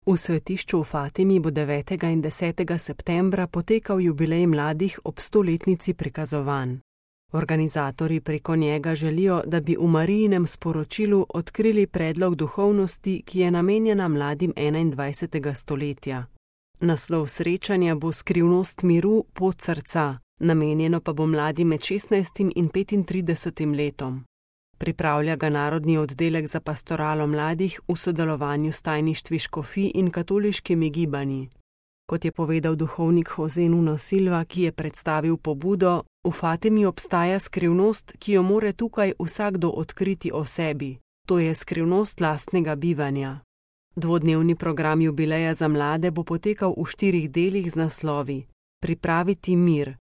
V svetišču v Fatimi bo 9. in 10. septembra potekal jubilej mladih ob 100-letnici prikazovanj. Organizatorji preko njega želijo, da bi v Marijinem sporočilu odkrili predlog duhovnosti, ki je namenjena mladim 21. stoletja. Naslov srečanja bo Skrivnost miru, pot srca, namenjeno pa bo mladim med 16. in 35. letom. Pripravlja ga Narodni oddelek za pastoralo mladih v sodelovanju s tajništvi škofij in katoliškimi gibanji. Kot je povedal duhovnik Jose Nuno Silva, ki je predstavil pobudo, v Fatimi obstaja skrivnost, ki jo more tukaj vsakdo odkriti o sebi. To je skrivnost lastnega bivanja. Dvodnevni program jubileja za mlade bo potekal v 4 delih z naslovi: Pripraviti mir,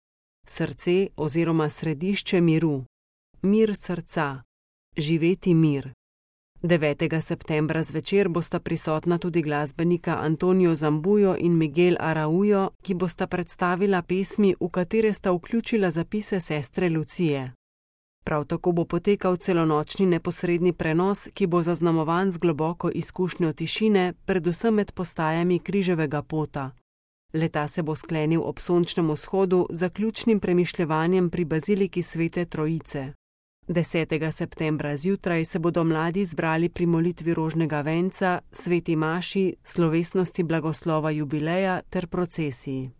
srce oziroma središče miru, mir srca, živeti mir. 9. septembra zvečer bosta prisotna tudi glasbenika Antonio Zambujo in Miguel Araujo, ki bosta predstavila pesmi, v katere sta vključila zapise sestre Lucije. Prav tako bo potekal celonočni neposredni prenos, ki bo zaznamovan z globoko izkušnjo tišine, predvsem med postajami križevega pota. Leta se bo sklenil ob sončnem vzhodu z zaključnim premišljevanjem pri baziliki Svete Trojice. 10. septembra zjutraj se bodo mladi zbrali pri molitvi rožnega venca, sveti maši, slovesnosti blagoslova jubileja ter procesiji.